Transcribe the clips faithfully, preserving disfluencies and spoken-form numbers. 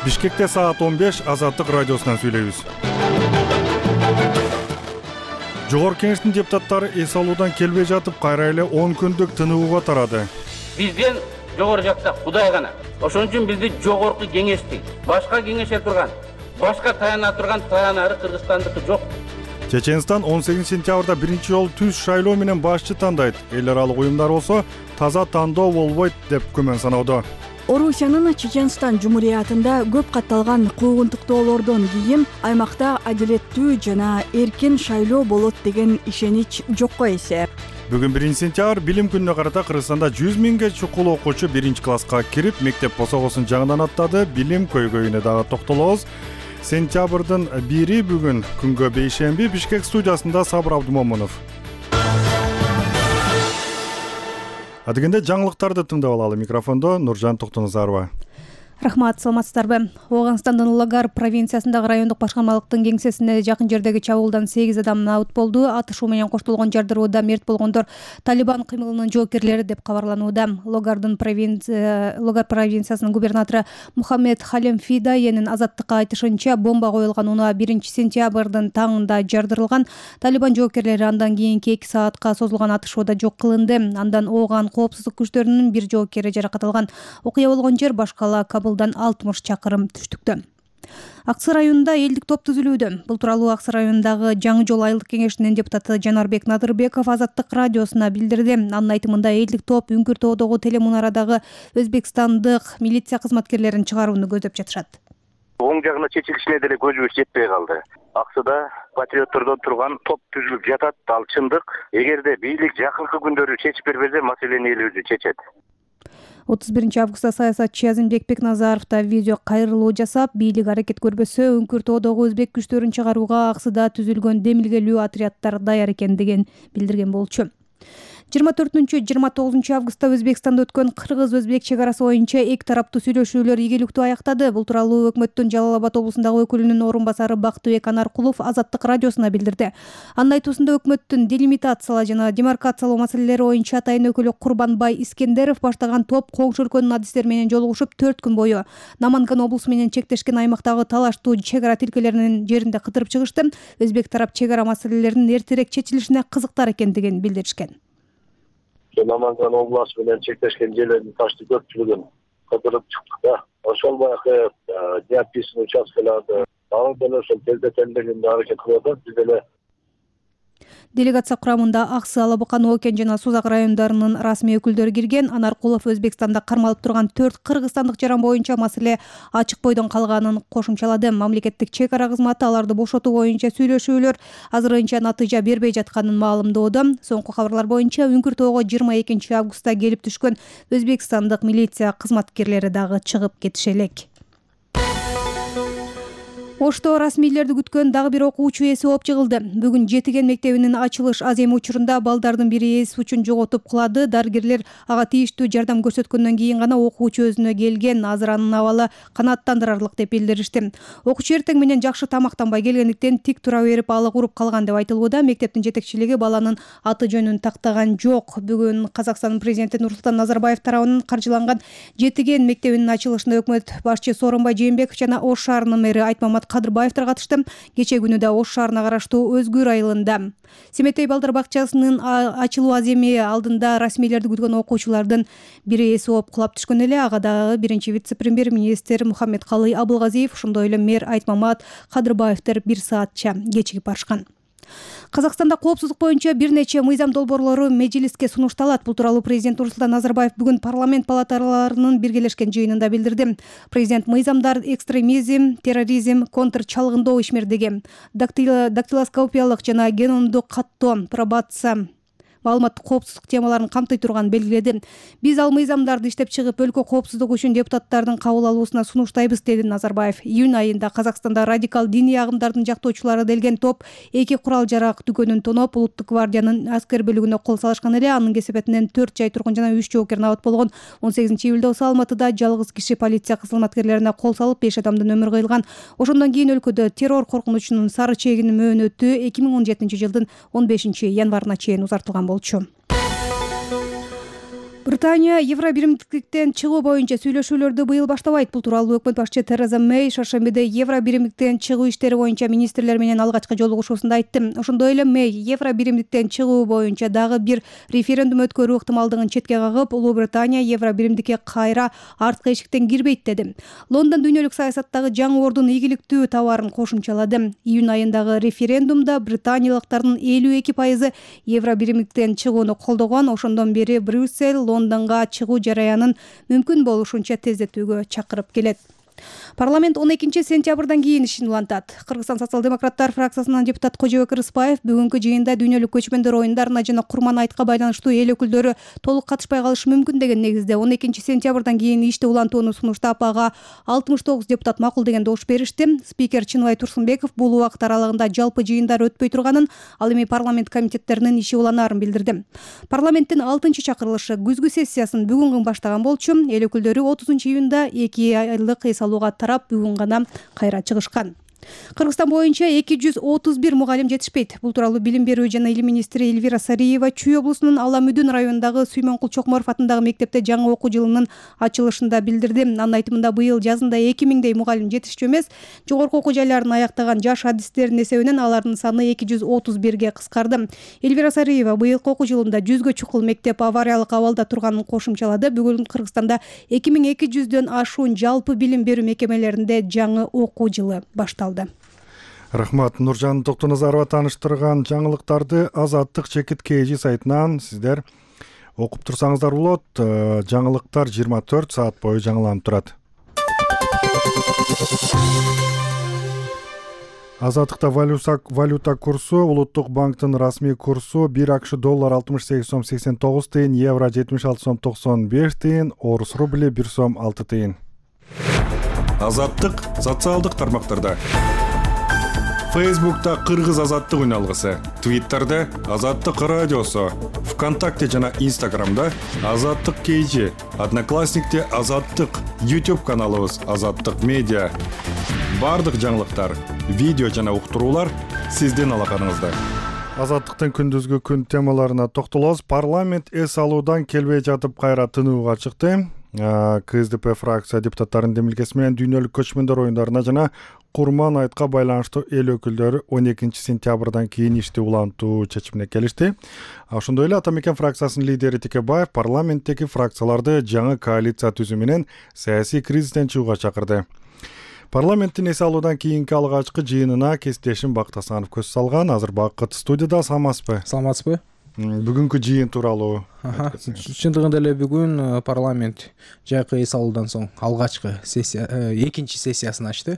Бишкекте саат он беш Азаттык радиосунан сүйлөйбүз. Жогорку Кеңештин депутаттары эс алуудан келбей жатып, кайра эле он күндүк тыныбууга тарады. Бизден жогору жакта Кудай гана. Ошон үчүн бизди жогорку кеңешти, башка кеңеше турган, башка таяна турган таянары Кыргызстандыкы жок. Чеченстан он сегизинчи сентябрда биринчи жолу түз шайлоо менен башчы тандайт. Эл аралык уюмдар болсо таза тандоо болбойт деп күмөн саноодо. Орусиянын Чеченстан Жумуриятында көп катталган куугунтуктоолордон кийин аймакта адилеттүү жана эркин шайлоо болот деген ишенич жокко эсеп. Бүгүн биринчи сентябрь билим күнүнө карата Кыргызстанда жүз миңге чукул окуучу биринчи класска кирип, мектеп босогосун жаңыдан аттады. Билим көйгөйүнө дагы токтолобуз. Сентябрдын бири бүгүн күнгө бейшемби Бишкек студиясында Сабыр Абдумомунов. Адегенде жаңылыктарды тыңдап алалы. Микрофондо Нуржан Токтоназарова. Рахмат, саламатсыздарбы? Ооганстандын Лагар провинциясындагы райондук башкармалыктын кеңсесине жакын жердеги чабуулдан сегиз адам набыт болду. Атышуу менен коштолгон жардырууда мерт болгондор Талибан кыймылынын жоокерлери деп кабарланууда. Логардын провинция Логар провинциясынын губернатору Мухаммед Халим Фидаенин Азаттыкка айтышынча, бомба коюлган унаа биринчи сентябрдын таңында жардырылган. Талибан жоокерлери андан кийинки эки саатка созулган атышууда жок кылынды. Андан ооган коопсуздук күчтөрүнүн бир жоокери жаракат алган. Окуя болгон жер башкала Кабылдан алтымыш чакырым түштүктө. Аксы районунда элдик топ түзүлүүдө. Бул тууралуу Аксы районундагы Жаңы жол айылдык кеңешинин депутаты Жанарбек Надырбеков Азаттык радиосуна билдирди. Анын айтымында элдик топ Үңкүр тоодогу телемунарадагы өзбекстандык милиция кызматкерлерин чыгарууну көздөп жатышат. Оң жагына чечилишине деле көзүбүз жетпей калды. Аксыда патриоттордон турган топ түзүлүп жатат. Ал чындык. Эгерде бийлик жакынкы күндөрү чечип бербесе, маселени эл өзү чечет. отуз биринчи августта саясатчы Азимбек Бекназаров да видео кайрылуу жасап, бийлик аракет көрбөсө Үңкүр тоодогу өзбек күчтөрүн чыгарууга Аксыда түзүлгөн демилгелүү отряддар даяр экендигин билдирген болчу. жыйырма төртүнчү жыйырма тогузунчу августта Өзбекстанда өткөн кыргыз-өзбек чек арасы боюнча эки тараптуу сүйлөшүүлөр ийгиликтүү аяктады. Бул тууралуу өкмөттүн Жалал Абад облусундагы өкүлүнүн орун басары Бактыбек Анаркулов Азаттык радиосуна билдирди. Анын айтуусунда өкмөттүн делимитациялоо жана демаркациялоо маселелери боюнча атайын өкүлү Курбанбай Искендеров баштаган топ коңшу өлкөнүн адистери менен жолугушуп, төрт күн бою Наманган облусу менен чектешкен аймактагы талаштуу чек ара тилкелеринин жеринде кыдырып чыгышты. Өзбек тарап чек ара маселелеринин эртерээк чечилишине кызыктар экендигин билдиришкен. Наманган областы менен чектешкен жерлердин ташты көпчүлүгүн кыдырып чыктык да. Ошол баягы неописанный участкаларды алдан ошол тездетелдегенде аракет кылып атат. Биз деле делегация курамында Аксы, Алабыкан, Окен жана Сузак райондарынын расмий өкүлдөрү кирген. Анаркулов Өзбекстанда кармалып турган төрт кыргызстандык жаран боюнча маселе ачык бойдон калганын кошумчалады. Мамлекеттик чек ара кызматы аларды бошотуу боюнча сүйлөшүүлөр азырынча натыйжа бербей жатканын маалымдоодо. Соңку кабарлар боюнча Үңкүр тоого жыйырма экинчи августта келип түшкөн өзбекстандык милиция кызматкерлери дагы чыгып кетише элек. Ошто расмийлерди күткөн дагы бир окуучу эси ооп жыгылды. Бүгүн Жетиген мектебинин ачылыш аземи учурунда балдардын бири эс учун жоготуп кулады. Дарыгерлер ага тийиштүү жардам көрсөткөндөн кийин гана окуучу өзүнө келген. Азыр анын абалы канааттандырарлык деп билдиришти. Окуучу эртең менен жакшы тамактанбай келгендиктен тик тура берип алы куруп калган деп айтылууда. Мектептин жетекчилиги баланын аты жөнүн тактаган жок. Бүгүн Казакстан президенти Нурсултан Назарбаев тарабынан каржыланган Жетиген мектебинин ачылышына өкмөт башчы Сооронбай Жээнбеков жана Ош шаарынын мэри Айтмамат Кадырбаевдер катышты. Кечээ күнү да Ош шаарына караштуу Өзгүр айылында Семетей балдар бакчасынын ачылуу аземи алдында расмийлерди күткөн окуучулардын бири эси ооп кулап түшкөн эле. Ага дагы биринчи вице-премьер-министр Мухаммедкалый Абылгазиев, ошондой эле мэр Айтмамат Кадырбаевдер бир саатча кечигип барышкан. Казакстанда коопсуздук боюнча бир нече мыйзам долбоорлору межилиске сунушталат. Бул тууралуу президент Нурсултан Назарбаев бүгүн парламент палаталарынын биргелешкен жыйынында билдирди. Президент мыйзамдар экстремизм, терроризм, контрчалгындоо ишмердиги, дактилоскопиялык жана геномдук каттоо, пробация, маалыматтык коопсуздук темаларын камтый турган белгиледи. Биз ал мыйзамдарды иштеп чыгып, өлкө коопсуздугу үчүн депутаттардын кабыл алуусуна сунуштайбыз, деди Назарбаев. Июнь айында Казакстанда радикал диний агымдардын жактоочулары делген топ эки курал жарак дүкөнүн тоноп, Улуттук гвардиянын аскер бөлүгүнө кол салышкан эле. Анын кесепетинен төрт жай тургун жана үч жоокер набыт болгон. он сегизинчи июлда болсо Алматыда жалгыз киши полиция кызматкерлерине кол салып, беш адамдын өмүрү кыйылган. Ошондон кийин өлкөдө террор коркунучунун сары чегинин мөөнөтү эки миң он жетинчи жылдын он бешинчи январына чейин узартылган болчу. Британия Евро биримдиктен чыгуу боюнча сүйлөшүүлөрдү быйыл баштабайт. Бул тууралуу өкмөт башчы Тереза Мэй шаршембиде Евро биримдиктен чыгуу иштери боюнча министрлер менен алгачкы жолугушуусунда айтты. Ошондой эле Мэй Евро биримдиктен чыгуу боюнча дагы бир референдум өткөрүү ыктымалдыгын четке кагып, Улуу Британия Евро биримдикке кайра арткы эшиктен кирбейт деди. Лондон дүйнөлүк саясаттагы жаңы ордун ийгиликтүү табаарын кошумчалады. Июнь айындагы референдумда британиялыктардын элүү эки пайызы Евро биримдиктен чыгууну колдогон. Ошондон бери Брюссель Лондонго чыгуу жараянын мүмкүн болушунча тездетүүгө чакырып келет. Парламент он экинчи сентябрдан кийин ишин улантат. Кыргызстан социал-демократтар фракциясынын депутат Кожобек Рыспаев бүгүнкү жыйында дүйнөлүк көчмөндөр оюндарына жана Курман айтка байланыштуу эл өкүлдөрү толук катышпай калышы мүмкүн деген негизде он экинчи сентябрдан кийин ишти улантууну сунуштап, ага алтымыш тогуз депутат макул деген добуш беришти. Спикер Чыныбай Турсунбеков бул убакыт аралыгында жалпы жыйындар өтпөй турганын, ал эми парламент комитеттеринин иши уланаарын билдирди. Парламенттин алтынчы чакырылышы күзгү сессиясын бүгүн баштаган болчу. Эл өкүлдөрү отузунчу июнда эки айлык эс алууга тарап бүгүн гана кайра чыгышкан. Кыргызстан боюнча эки жүз отуз бир мугалим жетишпейт. Бул тууралуу билим берүү жана илим министри Элвира Сариева Чүй облусунун Ала Мүдүн районундагы Сүймөнкул Чокморов атындагы мектепте жаңы окуу жылынын ачылышында билдирди. Анын айтымында быйыл жазында эки миңдей мугалим жетишчү эмес, жогорку окуу жайларын аяктаган жаш адистердин эсебинен алардын саны эки жүз отуз бирге кыскарды. Элвира Сариева быйылкы окуу жылында жүзгө чукул мектеп авариялык абалда турганын кошумчалады. Бүгүн Кыргызстанда эки миң эки жүздөн ашуун жалпы билим берүү мекемелеринде жаңы окуу жылы башталды. Рахмат. Нуржан Токтоназарова тааныштырган жаңылыктарды Азаттык чекит kg сайтынан сиздер окуп турсаңыздар болот. Жаңылыктар жыйырма төрт саат бою жаңыланып турат. Азаттыкта валюта курсу, Улуттук банктын расмий курсу бир акш доллар алтымыш сегиз сом сексен тогуз тыйын, евро жетимиш алты сом токсон беш тыйын, орус рубли бир сом алты тыйын. Азаттык социалдык тармактарда. Фейсбукта Кыргыз азаттык үн алгысы, Твиттерде Азаттык радиосу, ВКонтакте жана Инстаграмда Азаттык kg, Одноклассникте Азаттык, YouTube каналыбыз Азаттык медиа. Бардык жаңылыктар, видео жана уктуруулар сиздин алаканыңызда. Азаттыктын күндүзгү күн темаларына токтолобуз. Парламент эс алуудан келбей жатып кайра тынууга чыкты. КСДП фракция депутаттарынын демилгеси менен дүйнөлүк көчмөндөр оюндарына жана Курман айтка байланыштуу эл өкүлдөрү он экинчи сентябрдан кийин ишти улантуу чечимине келишти. Ошондой эле Ата Мекен фракциясынын лидери Текебаев парламенттеги фракцияларды жаңы коалиция түзүү менен саясий кризистен чыгууга чакырды. Парламенттин эс алуудан кийинки алгачкы жыйынына кесиптешим Бакыт Асанов көз салган. Азыр Бакыт студияда. Саламатсызбы? Саламатсызбы? Бүгүнкү жыйын тууралуу. Чындыгында эле бүгүн парламент жайкы эс алуудан соң алгачкы сессия, экинчи сессиясын ачты.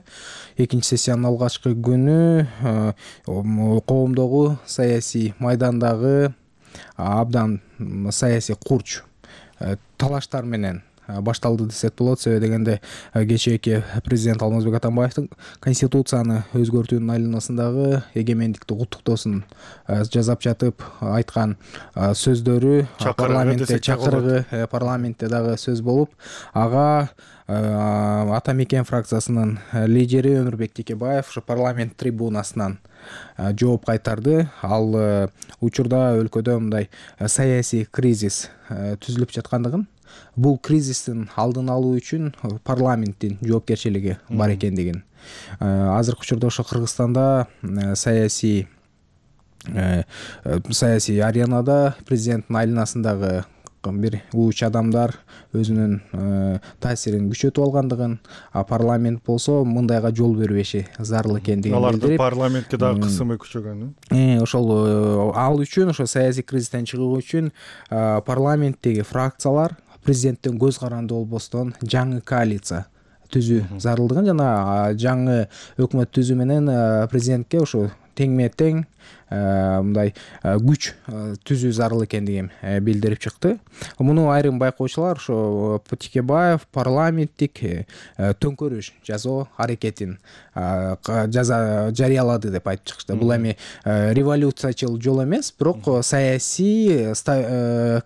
Экинчи сессиянын алгачкы күнү коомдогу саясий майдандагы абдан саясий курч талаштар менен башталды десек болот. Себеби дегенде кечээки президент Алмазбек Атамбаевдин конституцияны өзгөртүүнүн айланасындагы эгемендикти куттуктоосун жасап жатып айткан сөздөрү парламентте чакырыгы парламентте дагы сөз болуп, ага Ата Мекен фракциясынын лидери Өмүрбек Текебаев ошо парламент трибунасынан жооп кайтарды. Ал учурда өлкөдө мындай саясий кризис түзүлүп жаткандыгын, бул кризистин алдын алуу үчүн парламенттин жоопкерчилиги бар экендигин, азыркы учурда ошо Кыргызстанда саясий саясий аренада президенттин айланасындагы бир ууч адамдар өзүнүн таасирин күчөтүп алгандыгын, а парламент болсо мындайга жол бербеши зарыл экендигин билдирип, алардын парламентке дагы кысымы күчөгөн. Ошол ал үчүн, ошо саясий кризистен чыгуу үчүн парламенттеги фракциялар президенттен көз каранды болбостон жаңы коалиция түзүү зарылдыгын жана жаңы өкмөт түзүү менен президентке ошо теңме тең мындай күч түзүү зарыл экендигин билдирип чыкты. Муну айрым байкоочулар ошо Текебаев парламенттик төңкөрүш жасоо аракетин жарыялады деп айтып чыкты. Бул эми революциячыл жол эмес, бирок саясий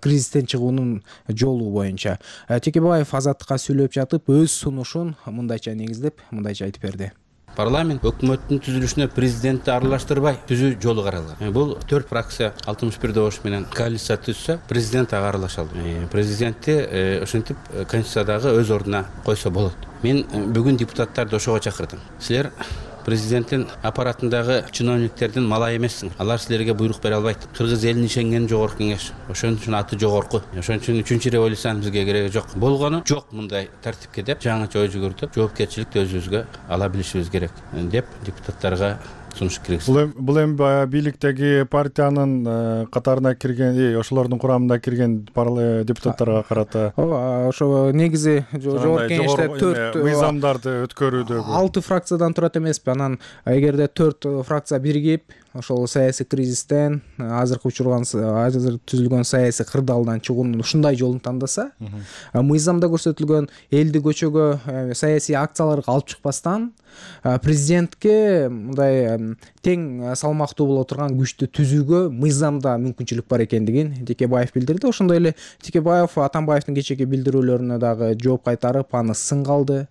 кризистен чыгуунун жолу боюнча. Текебаев Азаттыкка сүйлөп жатып өз сунушун мындайча негиздеп, мындайча айтып берди. парламент өкмөттүн түзүлүшүнө президентти аралаштырбай түзүү жолу каралган. Бул төрт фракция алтымыш бир добуш менен коалиция түзсө, президент ага аралаша албайт. Президентти ошентип конституциядагы өз ордуна койсо болот. Мен бүгүн депутаттарды ошого чакырдым. Силер президенттин аппаратындагы чиновниктердин малай эмессиң. Алар силерге буйрук бере албайт. Кыргыз элин ишенген жогорку кеңеш. Ошон үчүн аты жогорку. Ошон үчүн үчүнчү революциянын бизге кереги жок. Болгону жок мындай тартипке деп жаңыча ой жүгүртүп, жоопкерчиликти өзүбүзгө ала билишибиз керек деп депутаттарга сунуш киргизди. Бул эми баягы бийликтеги партиянын катарына кирген, ошолордун курамына кирген депутаттарга карата ошо негизи жогорку кеңеште төрт мыйзамдарды өткөрүүдөгү алты фракциядан турат эмеспи. Анан эгерде төрт фракция биригип ошол саясий кризистен, азыркы учурган азыр түзүлгөн саясий кырдаалдан чыгуунун ушундай жолун тандаса, мыйзамда көрсөтүлгөн элди көчөгө, саясий акцияларга алып чыкпастан президентке мындай тең салмактуу боло турган күчтү түзүүгө мыйзамда мүмкүнчүлүк бар экендигин Текебаев билдирди. Ошондой эле Текебаев Атамбаевдин кечээки билдирүүлөрүнө дагы жооп кайтарып, аны сын калды.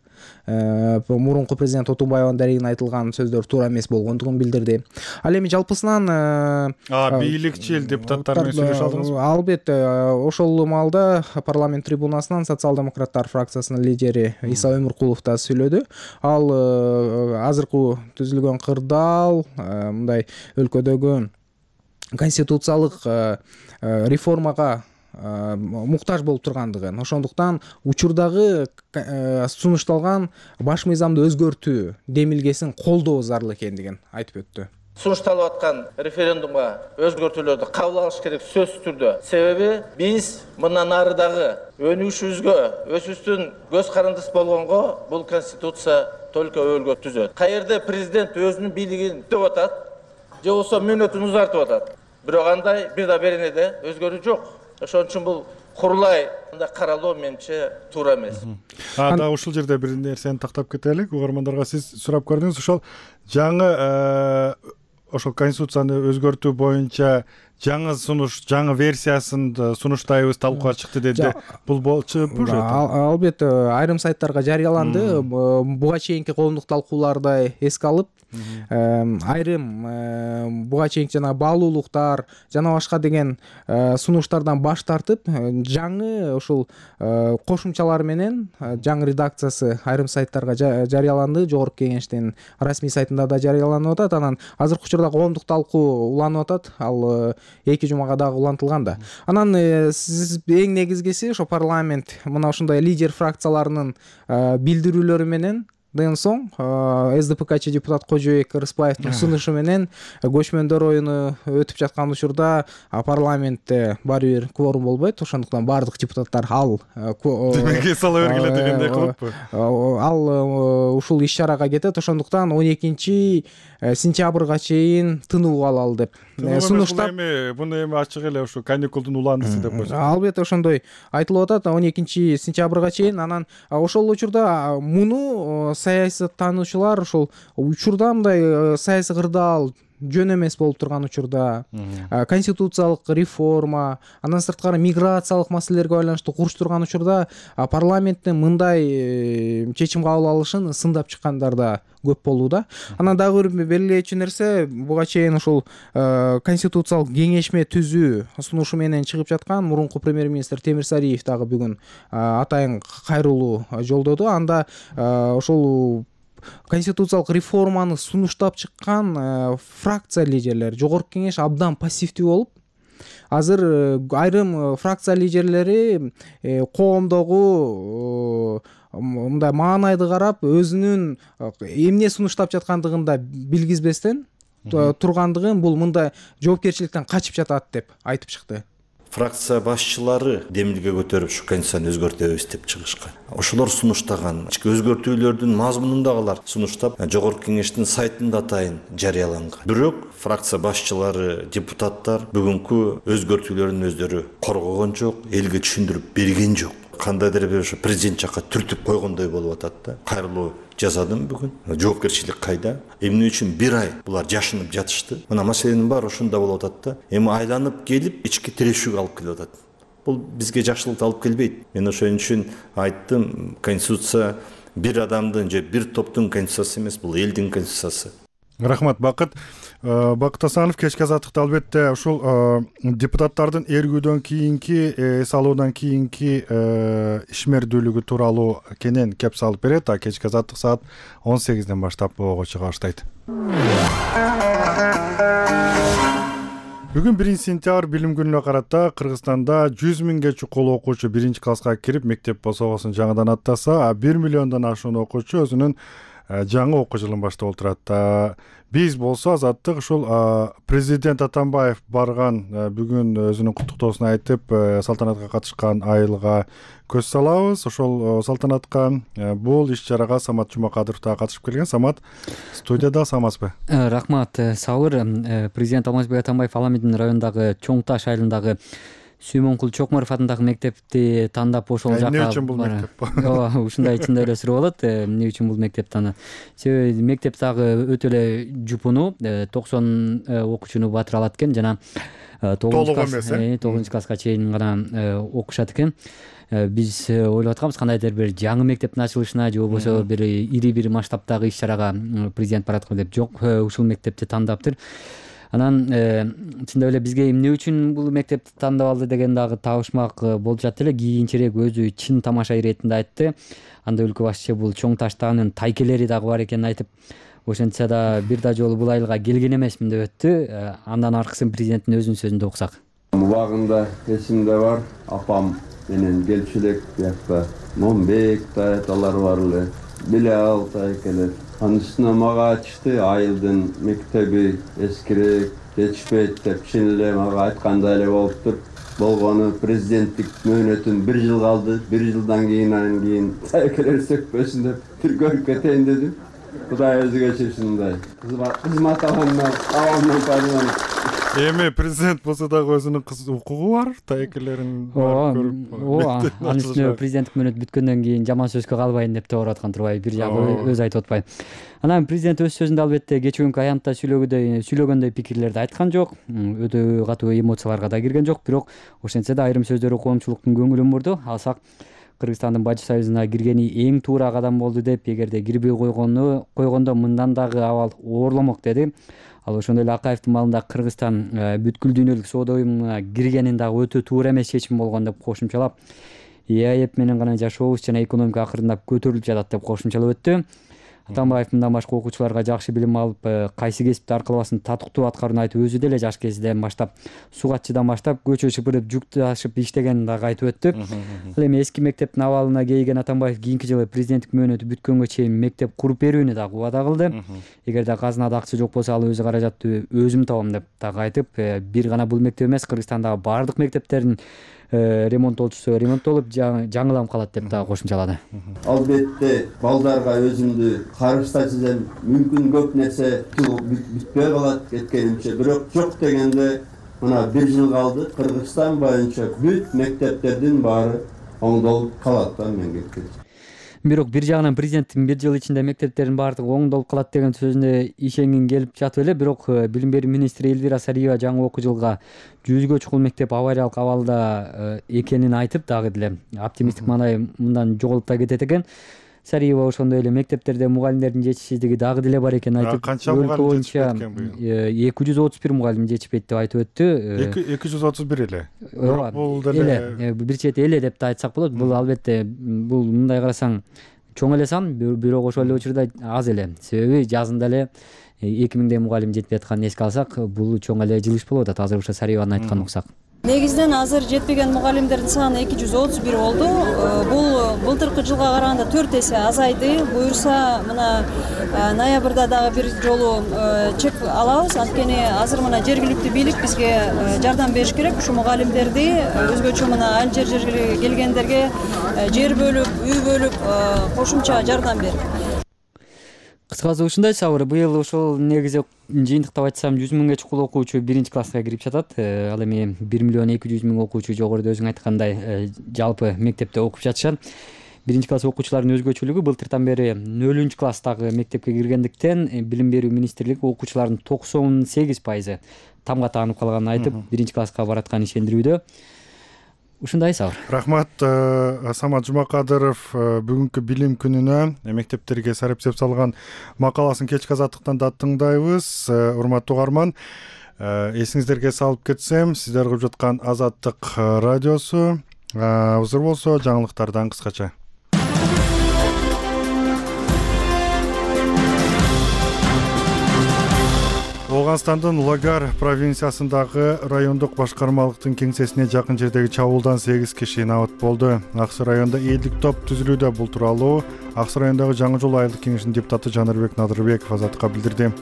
Мурунку президент Отунбаевдин дарегине айтылган сөздөр туура эмес болгондугун билдирди. Ал эми жалпысынан бийликчил депутаттар менен сүйлөшө алдыңызбы? Албетте, ошол маалда парламент трибунасынан социал-демократтар фракциясынын лидери Иса Өмүркулов да сүйлөдү. Ал азыркы түзүлгөн кырдаал мындай өлкөдөгү конституциялык реформага муктаж болуп тургандыгын, ошондуктан учурдагы сунушталган баш мыйзамды өзгөртүү демилгесин колдоо зарыл экендигин айтып өттү. Сунушталып аткан референдумга өзгөртүүлөрдү кабыл алыш керек сөзсүз түрдө. Себеби биз мындан ары дагы өнүгүшүбүзгө, өзүбүздүн көз карандысы болгонго бул конституция только өөлгө түзөт. Каерде президент өзүнүн бийлигин деп атат, же болбосо мөөнөтүн узартып атат. Бирок андай бир да беренеде өзгөрүү жок. Ошон үчүн бул курулай андай каралуу менимче туура эмес. А да ушул жерде бир нерсени тактап кетелик. Угармандарга сиз сурап көрдүңүз. Ошол жаңы ошол конституцияны өзгөртүү боюнча жаңы сунуш, жаңы версиясын сунуштайбыз, талкууга чыкты деди. Бул болчу уже? Албетте, айрым сайттарга жарыяланды. Буга чейинки коомдук талкууларды эске алып, айрым буга чейинки жана баалуулуктар жана башка деген сунуштардан баш тартып, жаңы ушул кошумчалар менен жаңы редакциясы айрым сайттарга жарыяланды. Жогорку кеңештин расмий сайтында да жарыяланып атат. Анан азыркы учурда коомдук талкуу уланып атат. Ал эки жумага дагы улантылган да. Анан сиз эң негизгиси ошо парламент мына ушундай лидер фракцияларынын билдирүүлөрү менен ден соң СДПКчы депутат Кожобек Рыспаевдин сунушу менен көчмөндөр оюну өтүп жаткан учурда парламентте баары бир кворум болбойт. Ошондуктан баардык депутаттар ал демеге сала бергиле дегендей кылыппы. Ал ушул иш-чарага кетет. Ошондуктан он экинчи сентябрга чейин тынуу алалы деп сунуштап. Буну эми ачык эле ушу каникулдун уландысы деп койсо. Албетте ошондой айтылып атат. он экинчи сентябрга чейин. Анан ошол учурда муну саясаттануучулар ошол учурда мындай саясий кырдаал жөн эмес болуп турган учурда конституциялык реформа, андан сырткары миграциялык маселелерге байланыштуу куруштурган учурда парламенттин мындай чечим кабыл алышын сындап чыккандар да көп болууда. Анан дагы бир белгилечү нерсе, буга чейин ушул конституциялык кеңешме түзүү сунушу менен чыгып жаткан мурунку премьер-министр Темирсариев дагы бүгүн атайын кайрылуу жолдоду. Анда ошол конституциялык реформаны сунуштап чыккан фракция лидерлери, жогорку кеңеш абдан пассивдүү болуп, азыр айрым фракция лидерлери коомдогу мындай маанайды карап, өзүнүн эмне сунуштап жаткандыгын да билгизбестен тургандыгын, бул мындай жоопкерчиликтен качып жатат деп айтып чыкты. Фракция башчылары демилге көтөрүп ушу конституцияны өзгөртөбүз деп чыгышкан. Ошолор сунуштаган ички өзгөртүүлөрдүн мазмунундагылар сунуштап жогорку кеңештин сайтында атайын жарыяланган. Бирок фракция башчылары, депутаттар бүгүнкү өзгөртүүлөрдүн өздөрү коргогон жок, элге түшүндүрүп берген жок. Кандайдыр бир ошо президент жакка түртүп койгондой болуп атат да. Кайрылуу жасадым бүгүн. Жоопкерчилик кайда? Эмне үчүн бир ай булар жашынып жатышты? Мына маселенин баары ошондо болуп атат да. Эми айланып келип ички тирешүүгө алып келип атат. Бул бизге жакшылык алып келбейт. Мен ошон үчүн айттым, конституция бир адамдын же бир топтун конституциясы эмес, бул элдин конституциясы. Рахмат, Бакыт. Бакыт Асанов, кечки азаттыкта албетте ушул депутаттардын эргүүдөн кийинки, эс алуудан кийинки ишмердүүлүгү тууралуу кенен кеп салып берет. А кечки азаттык саат он сегизден баштап ого чыга баштайт. Бүгүн биринчи сентябрь билим күнүнө карата Кыргызстанда жүз миңге чукул окуучу биринчи класска кирип мектеп босогосун жаңыдан аттаса, а бир миллиондон ашуун окуучу өзүнүн жаңы окуу жылын баштап отурат. Биз болсо Азаттык ушул президент Атамбаев барган бүгүн өзүнүн куттуктоосун айтып салтанатка катышкан айылга көз салабыз. Ошол салтанатка бул иш чарага Самат Жумакадыров да катышып келген. Самат, студияда саламатсызбы? Рахмат, Сабыр. Президент Алмазбек Атамбаев Ала Медин районундагы Чоң Таш айылындагы Сүймөнкул Чокморов атындагы мектепти тандап ошол жака. Эмне үчүн бул мектеп? Ооба, ушундай ичинде эле суроо болот. Эмне үчүн бул мектеп таны? Себеби мектеп дагы өтө эле жупуну, токсон окуучуну батыра алат экен жана тогузунчу класска чейин гана окушат экен. Биз ойлоп атканбыз кандайдыр бир жаңы мектептин ачылышына же болбосо бир ири бир масштабтагы иш чарага президент бараткыр деп. Жок, ушул мектепти тандаптыр. Анан чындап эле бизге эмне үчүн бул мектепти тандап алды деген дагы табышмак болуп жатты эле. Кийинчерээк өзү чын тамаша иретинде айтты. Анда өлкө башчысы бул Чоң Таштагынын тайкелери дагы бар экенин айтып, ошентсе да бир да жолу бул айылга келген эмесмин деп өттү. Андан аркысын президенттин өзүнүн сөзүндө окусак. Убагында эсимде бар, апам менен келчү элек биякта Момбек да алар бар эле. Биле ал тайкелер. Анын үстүнө мага ачты, айылдын мектеби эскирээк, жетишпейт деп чын эле мага айткандай эле болуптур. Болгону президенттик мөөнөтүм бир жыл калды. Бир жылдан кийин анан кийин тайкелер сөкпөсүн деп тиркөлүп кетейин дедим. Кудай өзү кечирсин мындай. Кызмат алгандан абалымдан пайдаланып. Эми президент болсо дагы өзүнүн укугу бар, тайкелерин көрүп. Ооба, анын үстүнө президенттик мөөнөт бүткөндөн кийин жаман сөзгө калбайын деп те ооруп аткан турбайбы, бир жагы өзү айтып атпайбы. Анан президент өз сөзүндө албетте кечүүнкү аянтта сүйлөгөндөй сүйлөгөндөй пикирлерди айткан жок, өтө катуу эмоцияларга да кирген жок, бирок ошентсе да айрым сөздөрү коомчулуктун көңүлүн бурду. Алсак, Кыргызстандын Бажы союзуна киргени эң туура кадам болду деп, эгерде кирбей койгону койгондо мындан дагы абал оорломок деди. Ал ошондой эле Акаевдин маалында Кыргызстан бүткүл дүйнөлүк соода уюмуна киргенин дагы өтө туура эмес чечим болгон деп кошумчалап, ЕАЭП менен гана жашообуз жана экономика акырындап көтөрүлүп жатат деп кошумчалап өттү. Атамбаев мындан башка окуучуларга жакшы билим алып, кайсы кесипти аркалабасын татыктуу аткарууну айтып, өзү деле жаш кезинен баштап сугатчыдан баштап көчө шыпырып, жүк ташып иштегенин дагы айтып өттү. Ал эми эски мектептин абалына кейген Атамбаев кийинки жылы президенттик мөөнөтү бүткөнгө чейин мектеп куруп берүүнү дагы убада кылды. Эгерде казынада акча жок болсо, ал өзү каражатты өзүм табам деп дагы айтып, бир гана бул мектеп эмес, Кыргызстандагы баардык мектептердин ремонттолчусу ремонттолуп жаңылам калат деп дагы кошумчалады. Албетте балдарга өзүмдү карыштасызем мүмкүн көп нерсе бүтпөй калат кеткенимче, бирок жок дегенде мына бир жыл калды. Кыргызстан боюнча бүт мектептердин баары оңдолуп калат да мен кеткенче. Бирок бир жагынан президенттин бир жыл ичинде мектептердин баардыгы оңдолуп калат деген сөзүнө ишенгин келип жатып эле, бирок билим берүү министри Элвира Сариева жаңы окуу жылга жүзгө чукул мектеп авариялык абалда экенин айтып, дагы деле оптимисттик маанай мындан жоголуп да кетет экен. Сариева ошондой эле мектептерде мугалимдердин жетишсиздиги дагы деле бар экенин айтып, канча мугалим жетишпейт экен быйыл? эки жүз отуз бир мугалим жетишпейт деп айтып өттү. эки жүз отуз бир эле. Ооба, бул деле бир чети эле деп да айтсак болот. Бул албетте бул мындай карасаң чоң эле сан, бирок ошол эле учурда аз эле. Себеби жазында эле эки миңдей мугалим жетпей атканын эске алсак, бул чоң эле жылыш болуп атат. Азыр ошо Сариеванын айтканын уксак. Негизинен азыр жетпеген мугалимдердин саны эки жүз отуз бир болду. Бул былтыркы жылга караганда төрт эсе азайды. Буюрса, мына ноябрда дагы бир жолу чек алабыз. Анткени азыр мына жергиликтүү бийлик бизге жардам бериш керек. Ушу мугалимдерди өзгөчө мына айыл жер жерге келгендерге жер бөлүп, үй бөлүп, кошумча жардам берип. Кыскасы ушундай, Сабыр. Быйыл ошол негизи жыйынтыктап айтсам жүз миңге чукул окуучу биринчи класска кирип жатат. Ал эми бир миллион эки жүз миң окуучу жогоруда өзүң айткандай жалпы мектепте окуп жатышат. Биринчи класс окуучуларынын өзгөчөлүгү былтыртан бери нөлүнчү класстагы мектепке киргендиктен билим берүү министрлиги окуучулардын токсон сегиз пайызы тамга таанып калганын айтып, биринчи класска баратканын ишендирүүдө. ушундай сабыр. Рахмат, Самат Жумакадыров бүгүнкү билим күнүнө мектептерге сарыпсеп салган макаласын кечки азаттыктан да тыңдайбыз. Урматтуу угарман, эсиңиздерге салып кетсем, сиздер угуп жаткан Азаттык радиосу. Узур болсо жаңылыктардан кыскача. Ооганстандын Лагар провинциясындагы райондук башкармалыктын кеңсесине жакын жердеги чабуулдан сегиз киши набыт болду. Аксы районда элдик топ түзүлүүдө. Бул тууралуу Аксы райондагы Жаңы жол айылдык кеңешинин депутаты Жанырбек Надырбеков Азаттыкка билдирди.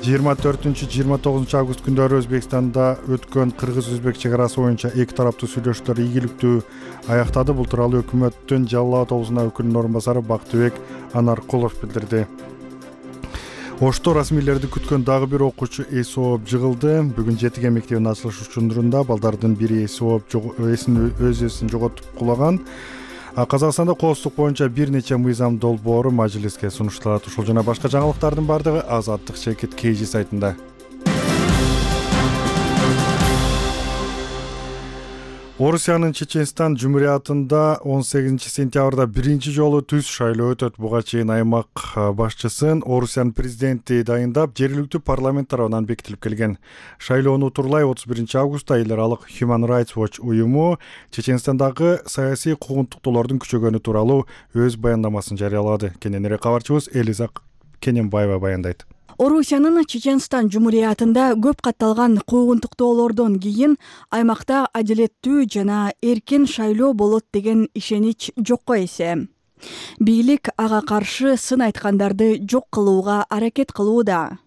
жыйырма төртүнчү жыйырма тогузунчу август күндөрү Өзбекстанда өткөн кыргыз-өзбек чек арасы боюнча эки тараптуу сүйлөшүүлөр ийгиликтүү аяктады. Бул тууралуу өкмөттүн Жалал Абад облусуна өкүлүнүн орун басары Бактыбек Анаркулов билдирди. Ошто расмийлерди күткөн дагы бир окуучу эс ооп жыгылды. Бүгүн Жетиген мектебинин ачылыш учундурунда балдардын бири эс ооп эсин өз эсин жоготуп кулаган. Казакстанда коопсуздук боюнча бир нече мыйзам долбоору мажлиске сунушталат. Ушул жана башка жаңылыктардын бардыгы Азаттык Чекит Кейжи сайтында. Орусиянын Чеченстан Жумуриятында он сегизинчи сентябрда биринчи жолу түз шайлоо өтөт. Буга чейин аймак башчысын Орусиянын президенти дайындап, жергиликтүү парламент тарабынан бекитилип келген. Шайлоону утурлай отуз биринчи августта эл аралык Human Rights Watch уюму Чеченстандагы саясий куугунтуктоолордун күчөгөнү тууралуу өз баяндамасын жарыялады. Кененирээк кабарчыбыз Элиза Кененбаева баяндайт. Орусиянын Чеченстан Жумуриятында көп катталган куугунтуктоолордон кийин аймакта адилеттүү жана эркин шайлоо болот деген ишенич жокко эсе. Бийлик ага каршы сын айткандарды жок кылууга аракет кылууда.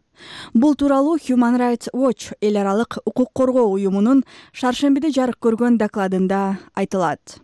Бул тууралуу Human Rights Watch эл аралык укук коргоо уюмунун шаршембиде жарык көргөн докладында айтылат.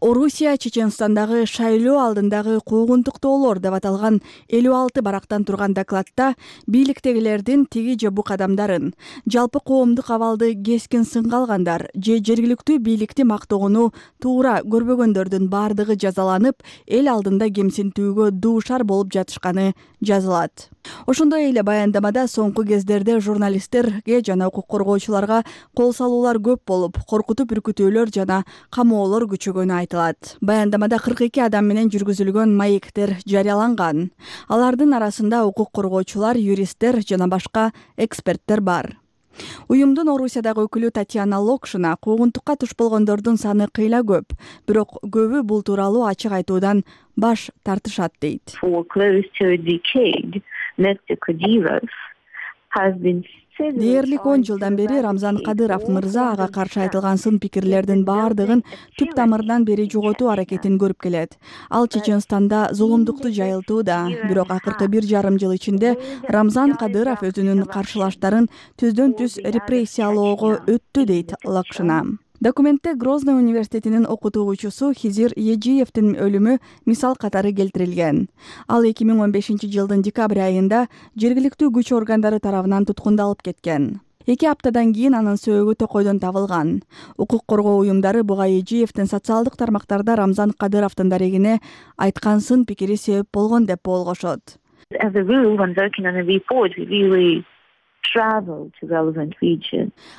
Орусия Чеченстандагы шайлоо алдындагы куугунтуктоолор деп аталган элүү алты барактан турган докладта бийликтегилердин тиги же бу кадамдарын, жалпы коомдук абалды кескин сынга алгандар же жергиликтүү бийликти мактоону туура көрбөгөндөрдүн бардыгы жазаланып, эл алдында кемсинтүүгө дуушар болуп жатышканы жазылат. Ошондой эле баяндамада соңку кездерде журналисттерге жана укук коргоочуларга кол салуулар көп болуп, коркутуп үркүтүүлөр жана камоолор күчөгөнү айтылат. Баяндамада кырк эки адам менен жүргүзүлгөн маектер жарыяланган. Алардын арасында укук коргоочулар, юристтер жана башка эксперттер бар. Уюмдун Орусиядагы өкүлү Татьяна Локшина куугунтукка туш болгондордун саны кыйла көп, бирок көбү бул тууралуу ачык айтуудан баш тартышат дейт. Дээрлик он жылдан бери Рамзан Кадыров мырза ага каршы айтылган сын пикирлердин бардыгын түп тамырынан бери жоготуу аракетин көрүп келет. Ал Чеченстанда зулумдукту жайылтууда, бирок акыркы бир жарым жыл ичинде Рамзан Кадыров өзүнүн каршылаштарын түздөн түз репрессиялоого өттү дейт Лакшина. Документте Грозный университетинин окутуучусу Хизир Ежиевдин өлүмү мисал катары келтирилген. Ал эки миң он бешинчи жылдын декабрь айында жергиликтүү күч органдары тарабынан туткундалып кеткен. Эки аптадан кийин анын сөөгү токойдон табылган. Укук коргоо уюмдары буга Ежиевдин социалдык тармактарда Рамзан Кадыровдун дарегине айткан сын пикири себеп болгон деп болгошот.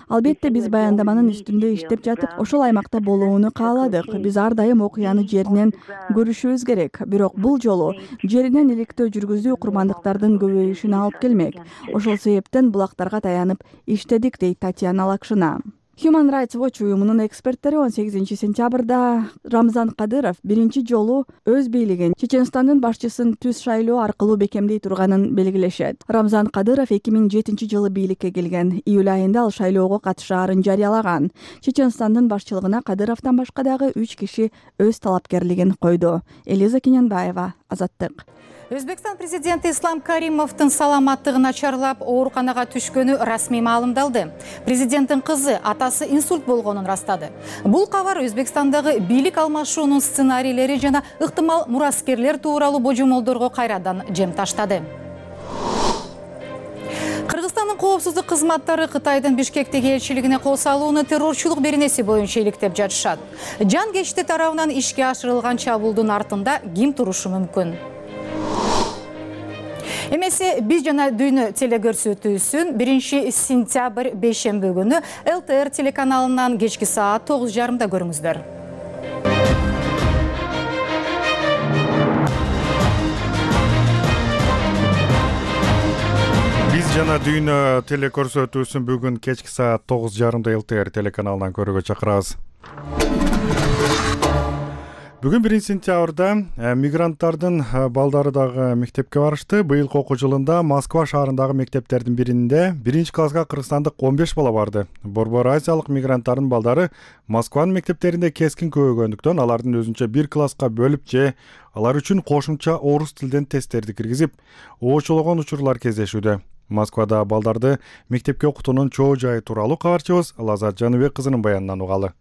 Албетте биз баяндаманын үстүндө иштеп жатып, ошол аймакта болууну кааладык. Биз ар дайым окуяны жеринен көрүшүбүз керек. Бирок бул жолу жеринен иликтөө жүргүзүү курмандыктардын көбөйүшүнө алып келмек. Ошол себептен булактарга таянып иштедик дейт Татьяна Лакшина. Human Rights Watch уюмунун эксперттери он сегизинчи сентябрда Рамзан Кадыров биринчи жолу өз бийлигин Чеченстандын башчысын түз шайлоо аркылуу бекемдей турганын белгилешет. Рамзан Кадыров эки миң жетинчи жылы бийликке келген. Июль айында ал шайлоого катышаарын жарыялаган. Чеченстандын башчылыгына Кадыровдон башка дагы үч киши өз талапкерлигин койду. Элиза Кененбаева, Азаттык. Өзбекстан президенти Ислам Каримовдун саламаттыгы начарлап, ооруканага түшкөнү расмий маалымдалды. Президенттин кызы атасы инсульт болгонун растады. Бул кабар Өзбекстандагы бийлик алмашуунун сценарийлери жана ыктымал мураскерлер тууралуу божомолдорго кайрадан жем таштады. Кыргызстандын коопсуздук кызматтары Кытайдын Бишкектеги элчилигине кол салууну террорчулук беренеси боюнча иликтеп жатышат. Жан кечти тарабынан ишке ашырылган чабуулдун артында ким турушу мүмкүн? Эмесе биз жана дүйнө телекөрсөтүүсүн биринчи сентябрь бейшемби күнү эл тэ эр телеканалынан кечки саат тогуз жарымда көрүңүздөр. Биз жана дүйнө телекөрсөтүүсүн бүгүн кечки саат тогуз жарымда эл тэ эр телеканалынан көрүүгө чакырабыз. Бүгүн биринчи сентябрда мигранттардын балдары дагы мектепке барышты. Быйылкы окуу жылында Москва шаарындагы мектептердин биринде биринчи класска кыргызстандык он беш бала барды. Борбор Азиялык мигранттардын балдары Москванын мектептеринде кескин көбөйгөндүктөн алардын өзүнчө бир класска бөлүп же алар үчүн кошумча орус тилден тесттерди киргизип, оочулогон учурлар кездешүүдө. Москвада балдарды мектепке окутуунун чоо жайы тууралуу кабарчыбыз Лазат Жаныбек кызынын баянынан угалы.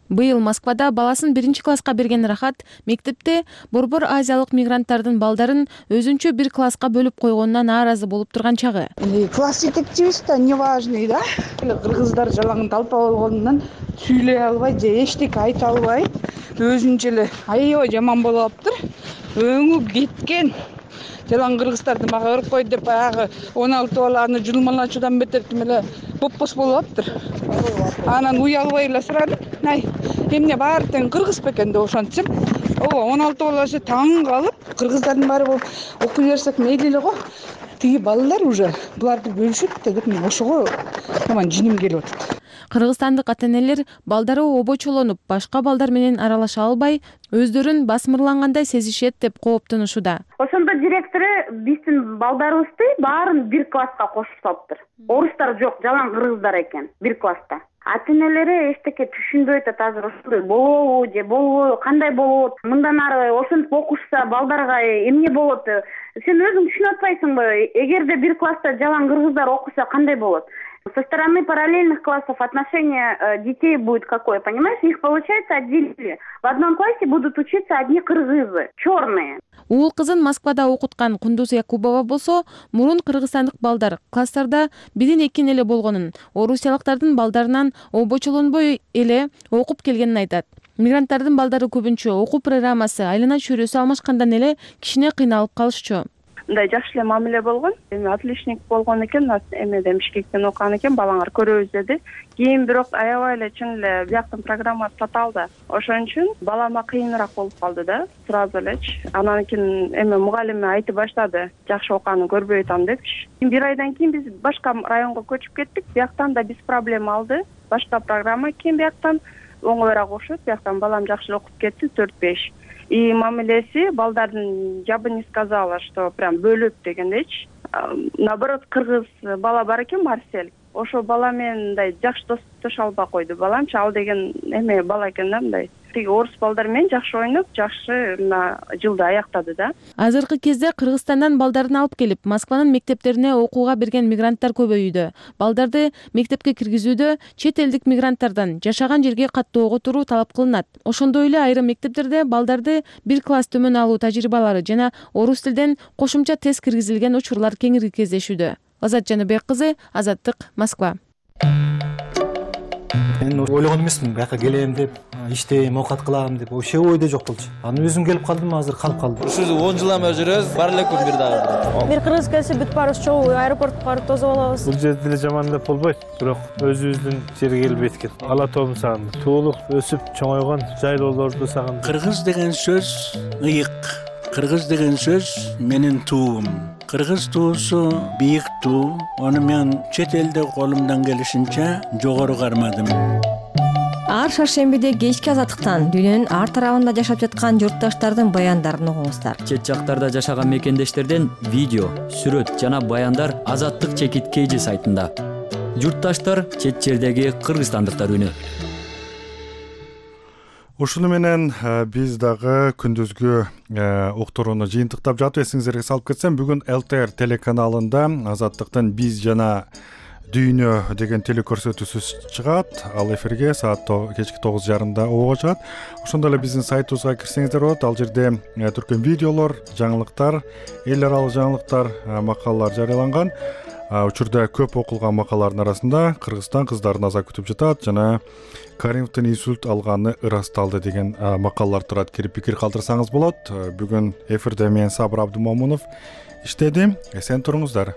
Быйыл Москвада баласын биринчи класска берген Рахат мектепте Борбор Азиялык мигранттардын балдарын өзүнчө бир класска бөлүп койгонуна нааразы болуп турган чагы. Класс жетекчибиз да неважный да. Кыргыздар жалаң талпа болгонунан сүйлөй албай же эчтеке айта албай, өзүнчө эле аябай жаман болуп аптыр. Өңү кеткен. Жалаң кыргыздарды мага ырып койду деп баягы он алты баланы жулмалачуудан бетер тим эле боппос болуп аптыр. Анан уялбай эле сурадым. Ай, эмне баары тең кыргыз бекен деп ошентсем, ооба он алты баласы таң калып, кыргыздардын баары болуп окуй берсек мейли эле го. Тиги балдар уже буларды бөлүшөт деп мен ошого таман жиним келип атат. Кыргызстандык ата-энелер балдары обочолонуп, башка балдар менен аралаша албай, өздөрүн басмырлангандай сезишет деп кооптонушууда. Ошондо директору биздин балдарыбызды баарын бир класска кошуп салыптыр. Орустар жок, жалаң кыргыздар экен бир класста. Ата-энелери эчтеке түшүнбөй атат азыр ошондой болобу же болбойбу, кандай болот? Мындан ары ошентип окушса балдарга эмне болот? Сен өзүң түшүнүп атпайсыңбы? Эгерде бир класста жалаң кыргыздар окуса кандай болот? Со стороны параллельных классов отношение детей будет какое, понимаешь? Их, получается, отделили. В одном классе будут учиться одни кыргызы, черные. Уул кызын Москвада окуткан Кундуз Якубова болсо, мурун кыргызстандык балдар класстарда бирин экин эле болгонун, орусиялыктардын балдарынан обочолонбой эле окуп келгенин айтат. Мигранттардын балдары көбүнчө окуу программасы, айлана чөйрөсү алмашкандан эле кичине кыйналып калышчу. Мындай жакшы эле мамиле болгон. Эми отличник болгон экен, эмеде Бишкектен окуган экен, балаңар көрөбүз деди. Кийин бирок аябай эле чын эле бияктын программасы татаалда. Ошон үчүн балама кыйыныраак болуп калды да, сразу элечи. Анан кийин эми мугалими айтып баштады, жакшы окуганын көрбөй атам депчи. Бир айдан кийин биз башка районго көчүп кеттик. Бияктан да биз проблема алды. Башка программа кийин бияктан оңоюраак окушат. Бияктан балам жакшы окуп кетти, төрт беш. И мамилеси балдардын, я бы не сказала, что прям бөлөп дегендейчи. Наоборот, кыргыз бала бар экен, Марсель. Ошо бала менен мындай жакшы достоша албай койду. Баламчы ал деген эме бала экен да мындай. Тиги орус балдар менен жакшы ойноп, жакшы мына жылды аяктады да. Азыркы кезде Кыргызстандан балдарын алып келип, Москванын мектептерине окууга берген мигранттар көбөйүүдө. Балдарды мектепке киргизүүдө чет элдик мигранттардан жашаган жерге каттуу оготуруу талап кылынат. Ошондой эле айрым мектептерде балдарды бир класс төмөн алуу тажрыйбалары жана орус тилден кошумча тест киргизилген учурлар кеңири кездешүүдө. Лазат Жаныбек кызы, Азаттык, Москва. Мен ойлогон эмесмин, бияка келем деп, иштейм, оокат кылам деп, вообще ойдо жок болчу. Анан өзүм келип калдым, азыр калып калдым. Ушул он жылдан бери жүрөбүз, бар элек күн бир дагы. Бир кыргыз келсе бүт баарыбыз чогуу аэропортко барып тосуп алабыз. Бул жерде деле жаман деп болбойт, бирок өзүбүздүн жерге келбейт экен. Ала тообун сагындым. Туулуп, өсүп, чоңойгон жайлоолорду сагындым. Кыргыз деген сөз ыйык. Кыргыз деген сөз менин туум. Кыргыз туусу бийик туу. Аны мен чет элде колумдан келишинче жогору кармадым. Ар шаршембиде кечки Азаттыктан дүйнөнүн ар тарабында жашап жаткан журтташтардын баяндарын угуңуздар. Чет жактарда жашаган мекендештерден видео, сүрөт жана баяндар Азаттык чекит кейжи сайтында. Журтташтар чет жердеги кыргызстандыктар үнү. Ушуну менен биз дагы күндүзгү уктурууну жыйынтыктап жатып, эсиңиздерге салып кетсем, бүгүн эл тэ эр телеканалында Азаттыктын биз жана дүйнө деген телекөрсөтүүсү чыгат. Ал эфирге саат кечки тогуз жарымда обого чыгат. Ошондой эле биздин сайтыбызга кирсеңиздер болот. Ал жерде түркөн видеолор, жаңылыктар, эл аралык жаңылыктар, макалалар жарыяланган. учурда көп окулган макалалардын арасында Кыргызстан кыздарын аза күтүп жатат жана Каримовдун инсульт алганы ырасталды деген макалалар турат. Кирип пикир калтырсаңыз болот. Бүгүн эфирде мен Сабыр Абдумомунов иштеди. Эсен туруңуздар.